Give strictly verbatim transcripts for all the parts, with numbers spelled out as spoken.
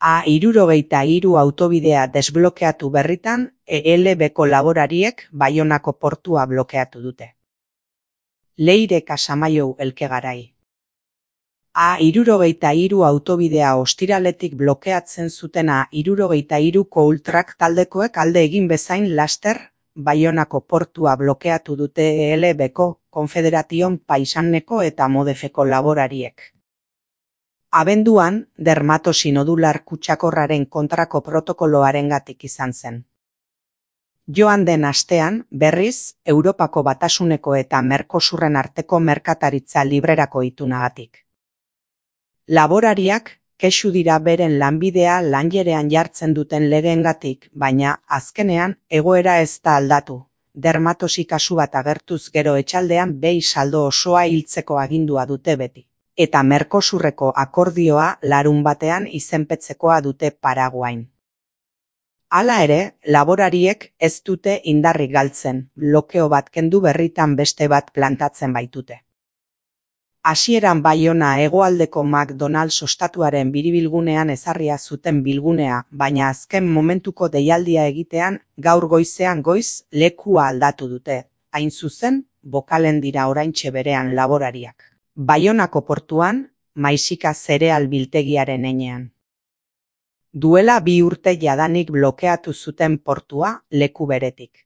A hirurogeita hiru autobidea desblokeatu berritan, E L Bko laborariek Baionako portua blokeatu dute. Leire Casamaiou Elkegarai. A hirurogeita hiru autobidea ostiraletik blokeatzen zutena hirurogeita hiruko ultrak taldekoek alde egin bezain laster, Baionako portua blokeatu dute E L Bko, Konfederation Paisaneko eta Modefeko laborariek. Abenduan, dermatosi nodular kutsakorraren kontrako protokoloarengatik izan zen. Joan den astean, berriz, Europako Batasuneko eta Mercosurren arteko merkataritza librerako itunagatik. Laborariak, kexu dira beren lanbidea lanjerean jartzen duten legeengatik, baina, azkenean, egoera ez da aldatu. Dermatosi kasu bat agertuz gero etxaldean behi saldo osoa hiltzeko agindua dute beti. Eta Mercosurreko akordioa larun batean izenpetzekoa dute Paraguain. Hala ere, laborariek ez dute indarrik galtzen, blokeo bat kendu berritan beste bat plantatzen baitute. Hasieran Baiona hegoaldeko McDonald's ostatuaren biribilgunean ezarria zuten bilgunea, baina azken momentuko deialdia egitean gaur goizean goiz lekua aldatu dute, hain zuzen, bokalen dira oraintxe berean laborariak. Baionako portuan, Maisika zereal biltegiaren enean. Duela bi urte jadanik blokeatu zuten portua leku beretik.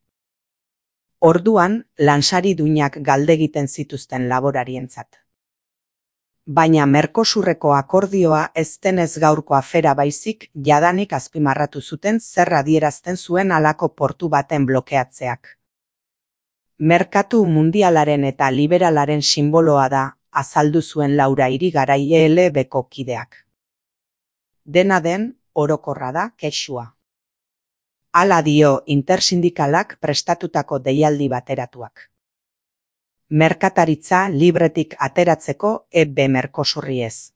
Orduan, lansari duinak galdegiten zituzten laborarientzat. Baina Mercosurreko akordioa ez denez gaurko afera baizik jadanik azpimarratu zuten zer adierazten zuen halako portu baten blokeatzeak. Merkatu mundialaren eta liberalaren sinboloa da, azaldu zuen Laura Irigarai E L Bko kideak. Dena den, orokorra da kexua. Hala dio intersindikalak prestatutako deialdi bateratuak. Merkataritza libretik ateratzeko E B Mercosurri ez.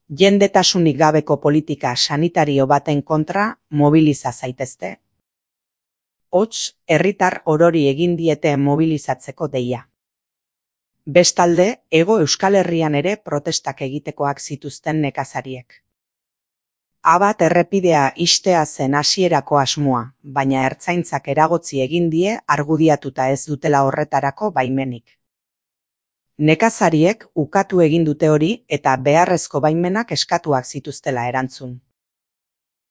Jendetasunik gabeko politika sanitario baten kontra mobiliza zaitezte. Hots, herritar orori egin diete mobilizatzeko deia. Bestalde, Hego Euskal Herrian ere protestak egitekoak zituzten nekazariek. Abat errepidea ixtea zen hasierako asmoa, baina ertzaintzak eragotzi egin die argudiatuta ez dutela horretarako baimenik. Nekazariek ukatu egin dute hori eta beharrezko baimenak eskatuak zituztela erantzun.